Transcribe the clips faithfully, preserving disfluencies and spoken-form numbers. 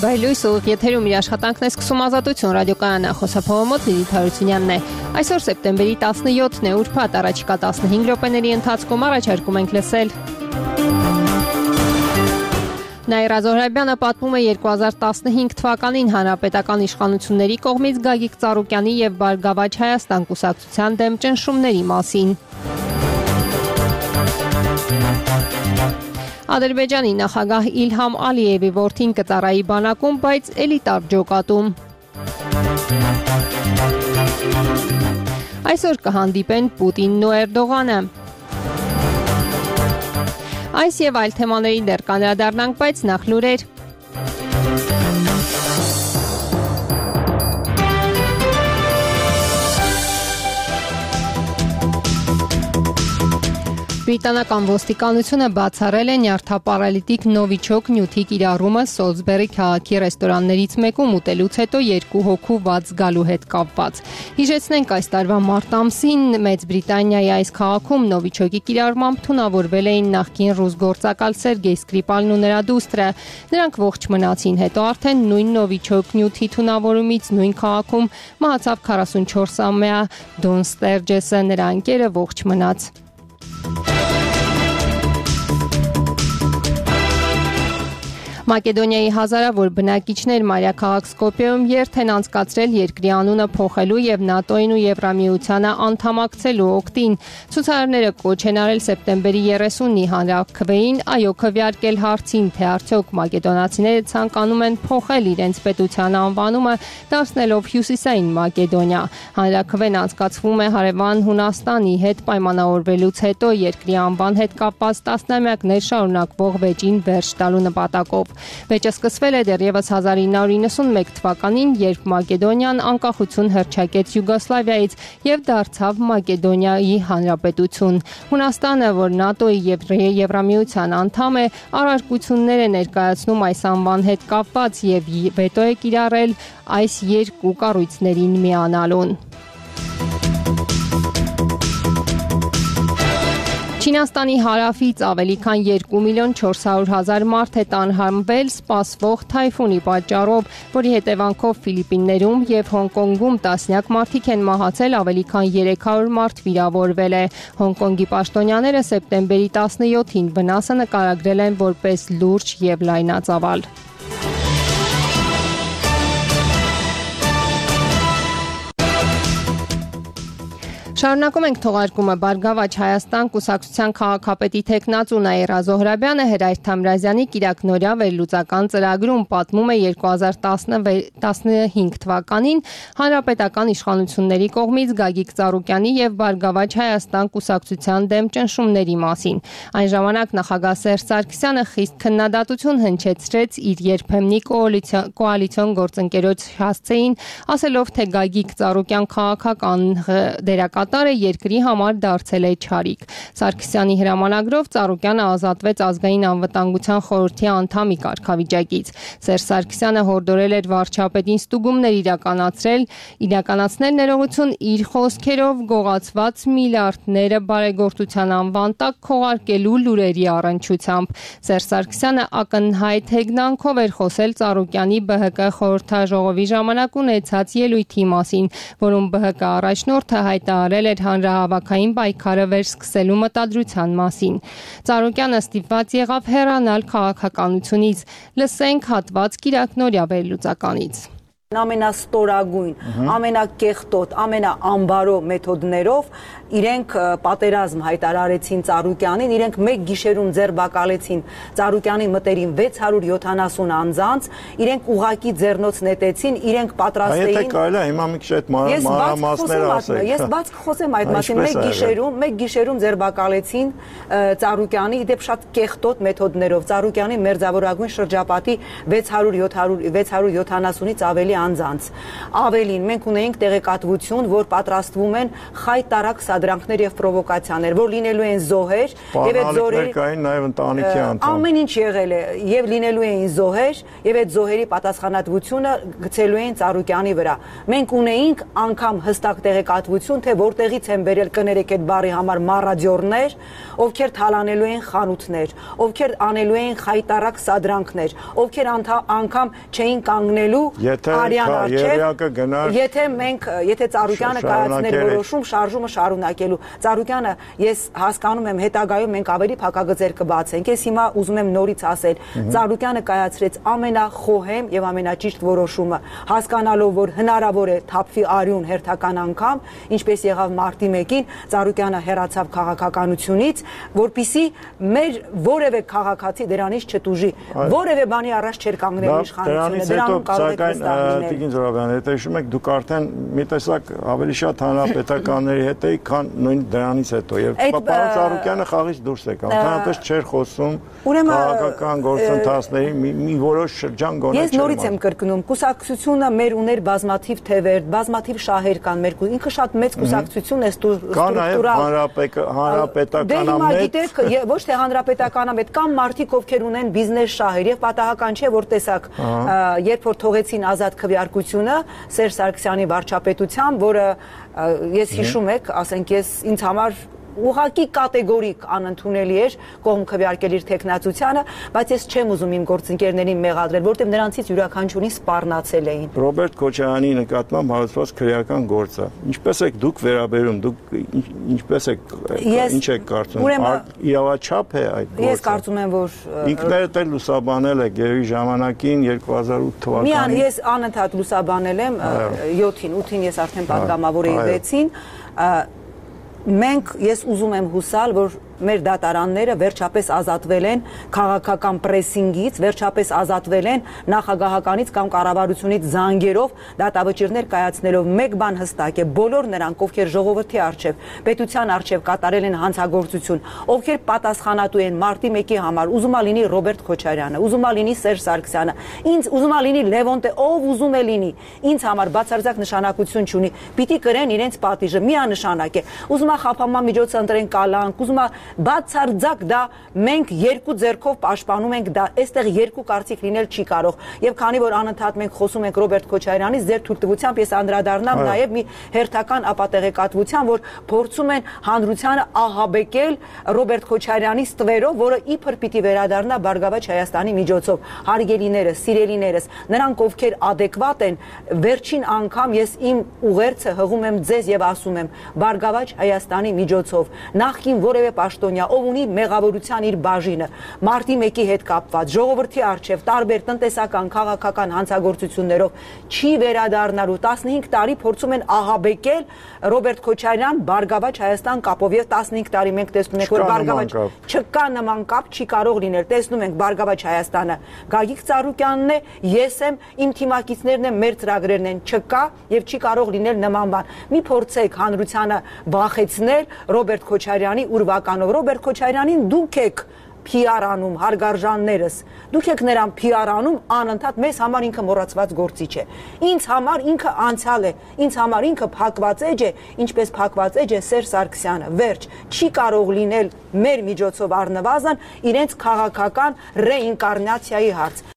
Բայլույս ուղիղ եթերում իր աշխատանքն է սկսում Ազատություն ռադիոկայանը, խոսափողը մոտ Լիլիթ Հարությունյանն է։ Այսօր սեպտեմբերի տասնյոթն է, ուրբաթ, առաջիկա տասնհինգ րոպեների ընթացքում առաջարկում ենք լսել։ Նաիրա Զոհրաբյանը պատմում է երկու հազար տասնհինգ թվականին հանրապետական իշխանությունների կողմից Գագիկ Ծառուկյանի և Բարգավաճ Հայաստան կուսակցության դեմ ճնշումների մասին։ Ադրբեջանի նախագահ Իլհամ Ալիևի որդին կծառայի բանակում, բայց էլիտար ջոկատում։ Այսօր կհանդիպեն Պուտինն ու Էրդողանը։ Այս և այլ թեմաների դեռ կանդրադառնանք, բայց նախ լուրեր։ Բրիտանական ոստիկանությունը բացառել է նյարդապարալիտիկ նովիչոկ նյութի կիրառումը Սոլսբերի քաղաքի ռեստորաններից մեկում ուտելուց հետո երկու հոգու վաց գալու հետ կապված։ Հիշեցնենք, այս տարվա մարտ ամսին Մեծ Բրիտանիայի այս քաղաքում նովիչոկի կիրառմամբ թունավորվել էին նախկին ռուս գործակալ Սերգեյ Սկրիպալն ու նրա դուստրը։ Նրանք ողջ մնացին, հետո արդեն նույն նովիչոկ նյութի թունավորումից նույն քաղաքում մահացավ քառասունչորսամյա Դոն Ստերջեսը, նրա ընկերը ողջ մնաց։ Մակեդոնիայի հազարավոր բնակիչներ մայրաքաղաք Սկոպիեում երթ են անցկացրել երկրի անունը փոխելու և ՆԱՏՕ-ին ու Եվրամիությանը անդամակցելու օգտին։ Ցուցարարները կոչ են արել սեպտեմբերի երեսունի հանրաքվեին այո քվեարկել հարցին, թե արդյոք մակեդոնացիները ցանկանում են փոխել իրենց պետության անվանումը, դարձնելով Հյուսիսային Մակեդոնիա։ Հանրաքվեն անցկացվում է հարևան Հունաստանի հետ պայմանավորվելուց հետո երկրի անվան հետ կապված տասնամյակներ շարունակվող վեճին վերջ տալու նպատակով։ Վեճը սկսվել է դեռևս հազար ինը հարյուր իննսունմեկ թվականին, երբ Մակեդոնիան անկախություն հռչակեց Յուգոսլավիայից և դարձավ Մակեդոնիայի հանրապետություն։ Հունաստանը, որ ՆԱՏՕ-ի և Եվրամիության անդամ է, առարկություններ է ներկայացնում այս անվան հետ կապված և վետո է կիրառել այս երկու կառույցներին միանալուն։ Չինաստանի հարավից ավելի քան երկու միլիոն չորս հարյուր հազար մարդ է տանհանվել սպասվող թայֆունի պատճառով, որի հետևանքով Ֆիլիպիններում և Հոնկոնգում տասնյակ մարդիկ են մահացել, ավելի քան երեք հարյուր մարդ վիրավորվել է։ Հոնկոնգի պաշտոնյաները սեպտեմբերի տասնյոթին վնասը նկարագրել են որպես լուրջ և լայնածավալ։ Շարունակում ենք թողարկումը։ Բարգավաճ Հայաստան կուսակցության քաղաքապետի թեկնածու Նաիրա Զոհրաբյանը Հերայր Թամրազյանի կիրակնօրյա վերլուծական ծրագրում պատմում է երկու հազար տասնհինգ թվականին հանրապետական իշխանությունների կողմից Գագիկ Ծառուկյանի և Բարգավաճ Հայաստան կուսակցության դեմ ճնշումների մասին։ Այն ժամանակ նախագահ Սերժ Սարգսյանը խիստ քննադատություն հնչեցրեց իր երբեմնի կոալիցիոն գործընկերոջ հասցեին, ասելով, թե Գագիկ Ծառուկյան քաղաքական դերակատար է երկրի համար դարձել է չարիք։ Սարգսյանի հրամանագրով Ծառուկյանը ազատվեց ազգային անվտանգության խորհրդի անդամի կարգավիճակից։ Սերժ Սարգսյանը հորդորել էր վարչապետին ստուգումներ իրականացրել, իրականացնել ներողություն իր խոսքերով գողացված միլիարդները բարեգործության անվան տակ քողարկելու լուրերի առնչությամբ։ Սերժ Սարգսյանը ակնհայտ հեգնանքով էր խոսել Ծառուկյանի ԲՀԿ խորհրդաժողովի ժամանակ ունեցած ելույթի մասին, որում ԲՀԿ առաջնորդը հայտարարել էր հանրահավաքային պայքարը վերսկսելու մտադրության մասին։ Ծառուկյանը ստիպված եղավ հեռանալ քաղաքականությունից։ Լսենք հատված կիրակնօրյա վերլուծականից։ Ամենաստորագույն, ամենակեղտոտ, ամենաամբարո մեթոդներով իրենք պատերազմ հայտարարեցին Ծառուկյանին, իրենք մեկ գիշերում ձերբակալեցին Ծառուկյանի մտերիմ վեց հարյուր յոթանասուն անձանց, իրենք ուղակի ձեռնոց նետեցին, իրենք պատրաստ էին։ Եթե կարելի է հիմա մի քիչ այդ մանրամասներ ասեք։ Ես բաց կխոսեմ այդ մասին, մեկ գիշերում, մեկ գիշերում ձերբակալեցին Ծառուկյանի, իդեպ շատ կեղտոտ մեթոդներով Ծառուկյանի մերձավորագույն շրջապատի վեց հարյուր յոթանասունից ավելի անձանց։ Ավելին, մենք ունեինք տեղեկատվություն, որ պատրաստվում են խայտարակ սադրանքներ եւ պրովոկացիաներ, որ լինելու են զոհեր, եւ այդ զոհերի կային նաեւ ընտանիքի անդամ։ Ամեն ինչ եղել է, եւ լինելու էին զոհեր, եւ այդ զոհերի պատասխանատվությունը գցելու էին Ծառուկյանի վրա։ Մենք ունեինք անգամ հստակ տեղեկատվություն, թե որտեղից են բերել կներեք այդ բառի համար մարադյորներ, ովքեր թալանելու են խանութներ, ովքեր անելու են խայտարակ սադրանքներ, ովքեր անգամ չէին կանգնելու արյան առջև, եթե մենք, եթե Ծառուկյանը կայացներ որոշում շարժումը շարունակելու։ Ծառուկյանը, ես հասկանում եմ, հետագայում մենք ավելի փակագծեր կբացենք։ Ես հիմա ուզում եմ նորից ասել, Ծառուկյանը կայացրեց ամենախոհեմ եւ ամենաճիշտ որոշումը, հասկանալով, որ հնարավոր է թափվի արյուն հերթական անգամ, ինչպես եղավ մարտի մեկին, Ծառուկյանը հեռացավ քաղաքականությունից, որպիսի մեր որևէ քաղաքացի դրանից չտուժի, որևէ բանի առաջ չէր կանգնել իշխանությունը, դրանում կարող է վստահ լինել։ Տիկին Զոհրաբյան, եթե հիշում եք, դուք արդեն մի տեսակ ավելի շատ հանրապետականների հետ եք, քան նույն դրանից հետո, եւ պարոն Ծառուկյանը խաղից դուրս եկավ, ընդհանրապես չէր խոսում քաղաքական գործընթացների մի որոշ շրջան գոնե չէր։ Ես նորից եմ կրկնում, կուսակցությունը մեր ուներ բազմաթիվ թևեր, բազմաթիվ շահեր կան մեր, ինքը շատ մեծ կուսակցություն է ստրուկտուրալ։ Հանրապետականամետ, ոչ թե հանրապետականամետ, կան մարդիկ, ովքեր ունեն բիզնես շահեր եւ պատահական չէ, որ տեսակ, երբ որ թողեցին ազատ քվեարկությունը Սերժ Սարգսյանի վարչապետությամբ, որը ես հիշում եք, ասենք ես ինձ համար ուղղակի կատեգորիկ անընդունելի էր կողմ քվեարկել իր տեխնացությանը, բայց ես չեմ ուզում իմ գործընկերներին մեղադրել, որտեղ նրանցից յուրաքանչյուրին սպառնացել էին։ Ռոբերտ Քոչարյանի նկատմամբ հարուցված քրեական գործը, ինչպես եք դուք վերաբերում, դուք ինչպես եք, ինչ եք կարծում, իրավաչափ է այդ գործը։ Ես կարծում եմ, որ ինքներդ էլ լուսաբանել եք երևի ժամանակին երկու հազար ութ թվականին։ Միան ես անընդհատ լուսաբանել եմ յոթին, ութին ես արդեն պատգամավոր էի վեցին։ Մենք ես ուզում եմ հուսալ, որ մեր դատարանները վերջապես ազատվել են քաղաքական պրեսինգից, վերջապես ազատվել են նախագահականից կամ կառավարությունից զանգերով դատավճիռներ կայացնելով։ Մեկ բան հստակ է, բոլոր նրանք, ովքեր ժողովրդի առջև, պետության առջև կատարել են հանցագործություն, ովքեր պատասխանատու են մարտի մեկի համար, ուզում է լինի Ռոբերտ Քոչարյանը, ուզում է լինի Սերժ Սարգսյանը, ինձ ուզում է լինի Լևոն, ով ուզում է լինի, ինձ համար բացարձակ նշանակություն չունի, պիտի կրեն իրենց պատիժը, միանշանակ է։ Ուզում է խափանման միջոցը ընտրեն կալանք, ուզում է բացարձակ դա մենք երկու ձեռքով պաշտպանում ենք, դա այստեղ երկու կարծիք լինել չի կարող։ Եվ քանի որ անընդհատ մենք խոսում ենք Ռոբերտ Քոչարյանից, ձեր թույլտվությամբ ես անդրադառնամ նաև մի հերթական ապատեղեկատվության, որ փորձում են հանրությանը ահաբեկել Ռոբերտ Քոչարյանի ստվերով, որը իբր պիտի վերադառնա Բարգավաճ Հայաստանի միջոցով։ Հարգելիներս, սիրելիներս, նրանք ովքեր adekvat են, վերջին անգամ ես իմ ուղերձը հղում եմ ձեզ եւ ասում եմ Բարգավաճ Հայաստանի միջոցով նախքին որևէ պաշտոնյա, ով ունի մեղավորության իր բաժինը, մարտի մեկի հետ կապված, ժողովրդի առջև տարբեր տնտեսական, քաղաքական հանցագործություններով չի վերադառնալու։ տասնհինգ տարի փորձում են ահաբեկել Ռոբերտ Քոչարյան, Բարգավաճ Հայաստան կապով եւ տասնհինգ տարի մենք տեսնում ենք, որ Բարգավաճ չկա նման կապ, չի կարող լինել։ Տեսնում ենք Բարգավաճ Հայաստանը Գագիկ Ծառուկյանն է, ես եմ, իմ թիմակիցներն են, մեր ծրագրերն են, չկա եւ չի կարող լինել նման բան։ Մի փորձեք հանրությանը վախեցնել Ռոբերտ Քոչարյանի ուրվականով։ Ռոբերտ Քոչարյանին դուք եք P R անում, հարգարժաններս, դուք եք նրան P R անում անընդհատ, մեզ համար ինքը մոռացված գործիչ է։ Ինձ համար ինքը անցյալ է, ինձ համար ինքը փակված էջ է, ինչպես փակված էջ է Սերժ Սարգսյանը։ Վերջ, չի կարող լինել մեր միջոցով առնվազն իրենց քաղաքական ռեինկարնացիայի հարց։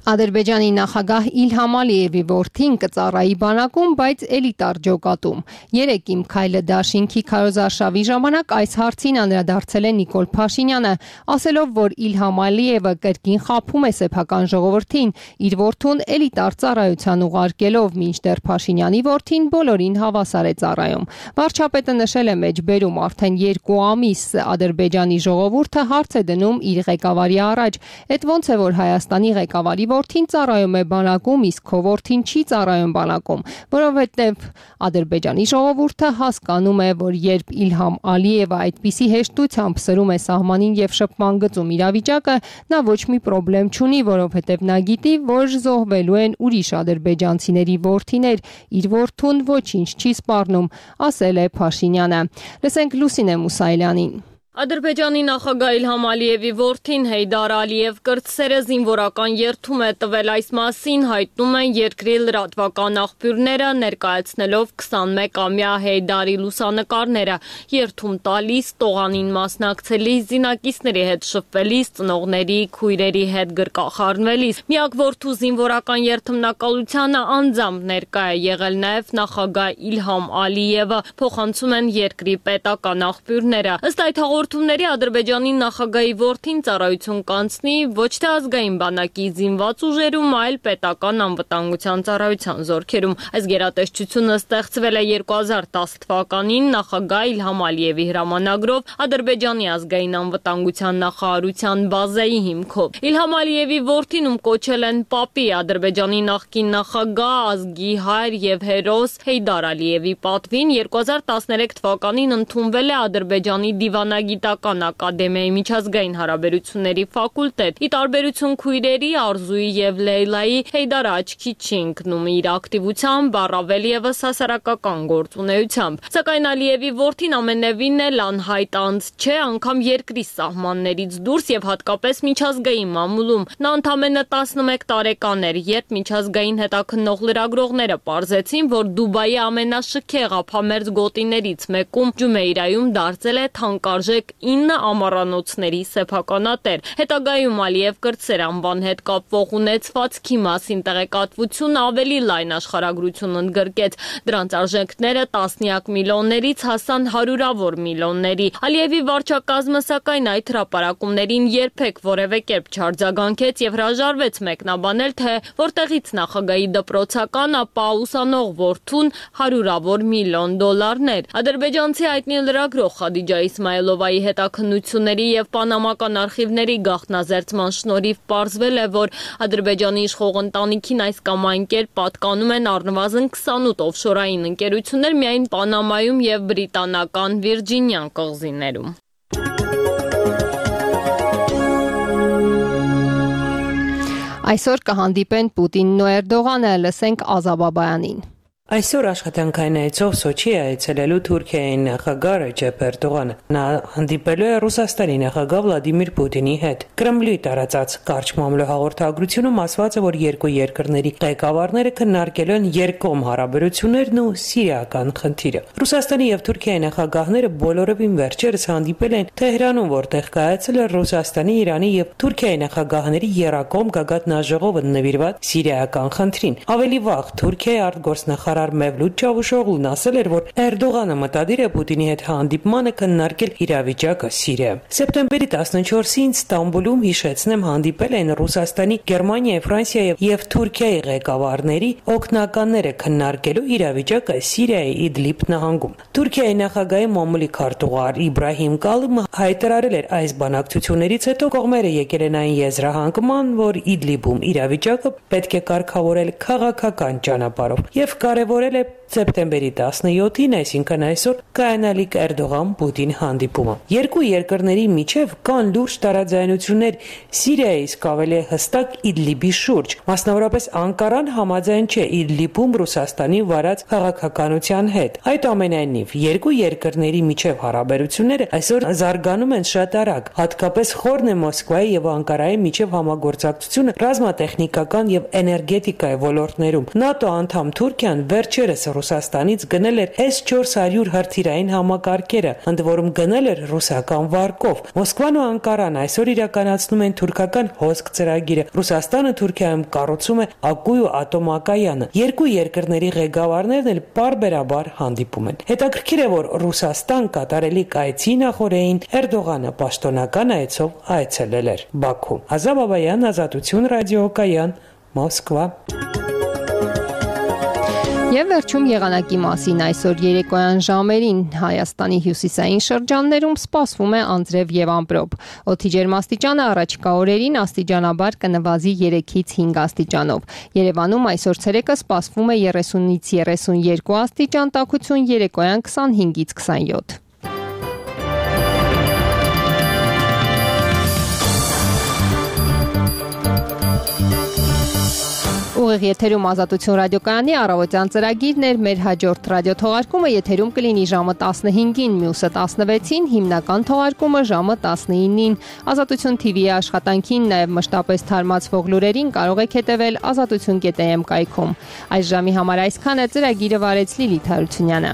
Ադրբեջանի նախագահ Իլհամ Ալիևի որդին կծառայի բանակում, բայց էլիտար ջոկատում։ Երեկ իմ քայլը դաշինքի քարոզարշավի ժամանակ այս հարցին անդրադարձել է Նիկոլ Փաշինյանը, ասելով, որ Իլհամ Ալիևը կրկին խաբում է սեփական ժողովրդին, իր որդուն էլիտար ծառայության ուղարկելով, մինչդեռ Փաշինյանի որդին բոլորին հավասար է ծառայում։ Վարչապետը նշել է մեջբերում, արդեն երկու ամիս Ադրբեջանի ժողովուրդը հարց է դնում իր ղեկավարի առաջ, այդ ոնց է, որ Հայաստանի ղեկավարի որդին ծառայում է բանակում, իսկ քո որդին չի ծառայում բանակում, որովհետև Ադրբեջանի ժողովուրդը հասկանում է, որ երբ Իլհամ Ալիևը այդպիսի հեշտությամբ սրում է սահմանին եւ շփման գծում իրավիճակը, նա ոչ մի խնդրեմ չունի, որովհետև նա գիտի, որ զոհվելու են ուրիշ ադրբեջանցիների որդիներ, իր որդուն ոչինչ չի սպառնում, ասել է Փաշինյանը։ Լսենք Լուսինե Մուսայելյանին։ Ադրբեջանի նախագահ Իլհամ Ալիևի որդին Հեյդար Ալիև կրտսերը զինվորական երթում է տվել, այս մասին հայտնում են երկրի լրատվական աղբյուրները, ներկայացնելով քսանմեկամյա Հեյդարի լուսանկարները, երթում տալիս, տողանին մասնակցելիս, զինակիցների հետ շփվելիս, ծնողների, քույրերի հետ գրկախառնվելիս։ Միակ որդու զինվորական երթմնակալությանը անձամբ ներկա է եղել նաև նախագահ Իլհամ Ալիևը, փոխանցում են երկրի պետական աղբյուրները։ Ըստ այդ հաղորդումների Ադրբեջանի նախագահի որդին ծառայություն կանցնի ոչ թե ազգային բանակի զինված ուժերում, այլ պետական անվտանգության ծառայության զորքերում։ Այս գերատեսչությունը ստեղծվել է երկու հազար տասը թվականին նախագահ Իլհամ Ալիևի հրամանագրով Ադրբեջանի ազգային անվտանգության նախարարության բազայի հիմքով։ Իլհամ Ալիևի որդին, ում կոչել են Պապի, Ադրբեջանի նախկին նախագահ, ազգի հայր եւ հերոս Հեյդար Ալիևի պատվին երկու հազար տասներեք թվականին ընդունվել է Ադրբեջանի Դիվանագիտական ակադեմիայի միջազգային հարաբերությունների ֆակուլտետ։ Ի տարբերություն քույրերի Արզուի եւ Լեյլայի, Հեյդարը աչքի չի ընկնում իր ակտիվությամբ, առավել եւս հասարակական գործունեությամբ։ Սակայն Ալիևի որդին ամենևին էլ անհայտ անձ չէ, անգամ երկրի սահմաններից դուրս եւ հատկապես միջազգային մամուլում։ Նա ընդամենը տասնմեկ տարեկան էր, երբ միջազգային հետաքննող լրագրողները պարզեցին, որ Դուբայի ամենաշքեղ ափամերձ գոտիներից մեկում Ջումեյրայում դարձել է թանկարժեք ինը ամառանոցների սեփականատեր։ Հետագայում Ալիև կրտսեր անվան հետ կապվող ունեցվածքի մասին տեղեկատվությունը ավելի լայն աշխարհագրություն ընդգրկեց։ Դրանց արժեքները տասնյակ միլիոններից հասան հարյուրավոր միլիոնների։ Ալիևի վարչակազմը սակայն այդ հրապարակումներին երբեք որևէ կերպ չարձագանքեց եւ հրաժարվեց մեկնաբանել, թե որտեղից նախագահի դպրոցական, ապա ուսանող որդուն հարյուրավոր միլիոն դոլարներ։ Ադրբեջանցի հայտնի լրագրող Խադիջա Իսմայելովայի հետաքննությունների եւ պանամական արխիվների գաղտնազերծման շնորհիվ պարզվել է, որ Ադրբեջանի իշխող ընտանիքին այս կամ այն կերպ պատկանում են առնվազն քսանութ օֆշորային ընկերություններ միայն Պանամայում եւ բրիտանական Վիրջինյան կղզիներում։ Այսօր կհանդիպեն Պուտինն ու Էրդողանը, լսենք Ազա Բաբայանին։ Այսօր աշխատանքային այցով Սոչի է այցելելու Թուրքիայի նախագահ Ռեջեփ Էրդողանը։ Նա հանդիպելու է Ռուսաստանի նախագահ Վլադիմիր Պուտինի հետ։ Կրեմլի տարածած կարճ մամլո հաղորդագրությունում ասված է, որ երկու երկրների ղեկավարները քննարկել են երկկողմ հարաբերություններն ու սիրիական խնդիրը։ Ռուսաստանի եւ Թուրքիայի նախագահները բոլորովին վերջերս հանդիպել են Թեհրանում, որտեղ կայացել է Ռուսաստանի, Իրանի եւ Թուրքիայի նախագահների եռակողմ գագաթնաժողովը նվիրված սիրիական խնդրին։ Ավելի վաղ Թուրքիայի արտգործնախարար Մևլութ Չավուշօղլուն ասել էր, որ Էրդողանը մտադիր է Պուտինի հետ հանդիպմանը քննարկել իրավիճակը Սիրիայում։ Սեպտեմբերի տասնչորսին Ստամբուլում, հիշեցնեմ, հանդիպել են Ռուսաստանի, Գերմանիայի, Ֆրանսիայի եւ Թուրքիայի ղեկավարների օգնականները քննարկելու իրավիճակը Սիրիայի Իդլիբ նահանգում։ Թուրքիայի նախագահի մամուլի քարտուղար Իբրահիմ Կալումը հայտարարել էր այս բանակցություններից հետո կողմերը եկել են այն եզրահանգման, որ Իդլիբում իրավիճակը պետք է կարգավորել քաղաքական ճանապարհով եւ կարևորել է սեպտեմբերի տասնյոթին, այսինքն այսօր կայանալիք Էրդողան-Պուտին հանդիպումը։ Երկու երկրների միջև կան լուրջ տարաձայնություններ Սիրիայի, իսկ ավելի հստակ Իդլիբի շուրջ։ Մասնավորապես Անկարան համաձայն չէ Իդլիբում Ռուսաստանի վարած քաղաքականության հետ։ Այդուամենայնիվ, երկու երկրների միջև հարաբերությունները այսօր զարգանում են շատ արագ, հատկապես խորն է Մոսկվայի եւ Անկարայի միջև համագործակցությունը ռազմատեխնիկական եւ էներգետիկայի ոլորտներում։ ՆԱՏՕ անդամ Թուրքիան վերջերս Ռուսաստանից գնել էր էս չորս հարյուր հրթիռային համակարգերը, ընդ որում գնել էր ռուսական վարկով։ Մոսկվան ու Անկարան այսօր իրականացնում են թուրքական հոսք ծրագիրը։ Ռուսաստանը Թուրքիայում կառուցում է Ակույու ատոմակայանը։ Երկու երկրների ղեկավարներն էլ պարբերաբար հանդիպում են։ Հետաքրքիր է, որ Ռուսաստան կատարելիք այցի նախորդին Էրդողանը պաշտոնական այցով այցելել էր Բաքու։ Ազա Բաբայան, Ազատություն ռադիոկայան, Մոսկվա։ Եվ վերջում եղանակի մասին այսօր երեկոյան ժամերին Հայաստանի հյուսիսային շրջաններում սպասվում է անձրև եւ ամպրոպ։ Օդի ջերմաստիճանը առաջիկա օրերին աստիճանաբար կնվազի երեքից հինգ աստիճանով։ Երևանում այսօր ցերեկը սպասվում է երեսունից երեսունյոթ աստիճան տաքություն, երեկոյան քսանհինգից քսանյոթ։ Ուղիղ եթերում Ազատություն ռադիոկայանի առավոտյան ծրագիրն էր, մեր հաջորդ ռադիոթողարկումը եթերում կլինի ժամը տասնհինգին, մյուսը տասնվեցին, հիմնական թողարկումը ժամը տասնինին։ Ազատություն թի վի-ի աշխատանքին, նաև մշտապես թարմացվող լուրերին կարող եք հետևել ազատություն կետ է էմ կայքում։ Այս ժամի համար այսքան է, ծրագիրը վարեց Լիլիթ Հարությունյանը։